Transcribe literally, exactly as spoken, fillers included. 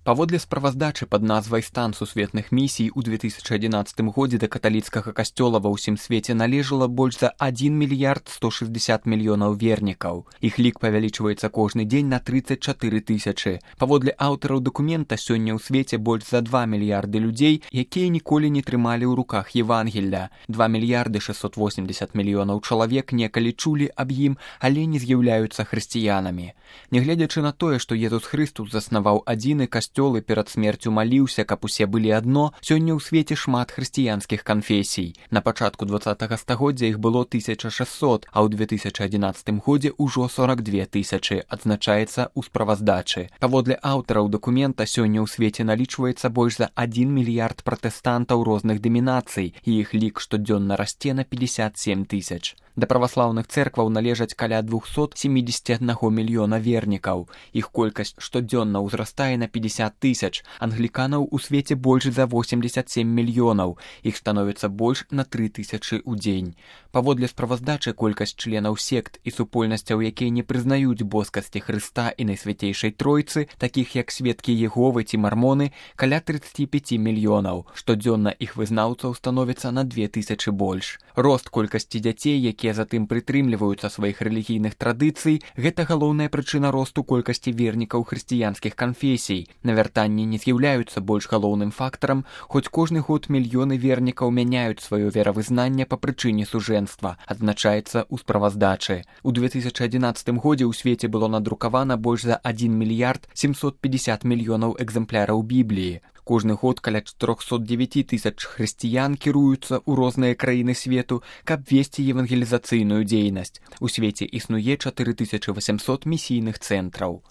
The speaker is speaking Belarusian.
Паводле справаздачы пад назвай «Стан сусветных місій» у две тысячы адзінаццатым годзе да каталіцкага касцёла ва ўсім свеце належала больш за адзін мільярд сто шэсцьдзесят мільёнаў вернікаў. Іх лік павялічваецца кожны дзень на трыццаць чатыры тысячы. Паводле аўтараў дакумента сёння ў свеце больш за два мільярды людзей, якія ніколі не трымалі ў руках Евангелля. два мільярды шэсцьсот восемьдесят мільёнаў чалавек некалі чулі аб ім, але не з'яўляюцца хрысціянамі. Нягледзячы на тое, што Езус Хрыстус заснаваў адзіны касцёл і перад смерцю маліўся, каб усе былі адно, сёння ў свеце шмат хрысціянскіх канфесій. На пачатку дваццатага стагоддзя іх было тысяча шэсцьсот, а ў две тысячы адзінаццатым годзе ўжо сорок две тысячы, адзначаецца ў справаздачы. Паводле аўтараў дакумента сёння ў свеце налічваецца больш за адзін мільярд пратэстантаў розных дэмінацый, і іх лік штодзённа расце на пятьдесят семь тысяч. Да праваслаўных цэркваў належаць каля двухсот семидесяти одного мільёна вернікаў. Іх колькасць штодзённа ўзрастае на пятьдесят тысяч. Англіканаў у свеце больш за восемьдесят семь мільёнаў. Іх становіцца больш на три тысячы ў дзень. Паводле справаздачы колькасць членаў сект і супольнасцяў, якія не прызнаюць боскасці Хрыста і Найсвяцейшай Тройцы, такіх як сведкі Єговы ці мармоны, каля тридцать пять мільёнаў. Штодзённа іх вызнаўцаў становіцца на две тысячы больш. Рост колькасці дзяцей, якія затым прытрымліваюцца сваіх рэлігійных традыцый, гэта галоўная прычына росту колькасці вернікаў хрысціянскіх канфесій. Навяртанні не з'яўляюцца больш галоўным фактарам, хоць кожны год мільёны вернікаў мяняюць сваё веравызнанне па прычыне сужэнства, адзначаецца ў справаздачы. У две тысячы адзінаццатым годзе ў свеце было надрукавана больш за адзін мільярд семьсот пятьдесят мільёнаў экземпляраў Бібліі. Кожны год каля четырёхсот девяти тысяч хрысціян кіруюцца ў розныя краіны свету, каб весці евангелізацыйную дзейнасць. У свеце існуе чатыры тысячы восемьсот місійных цэнтраў.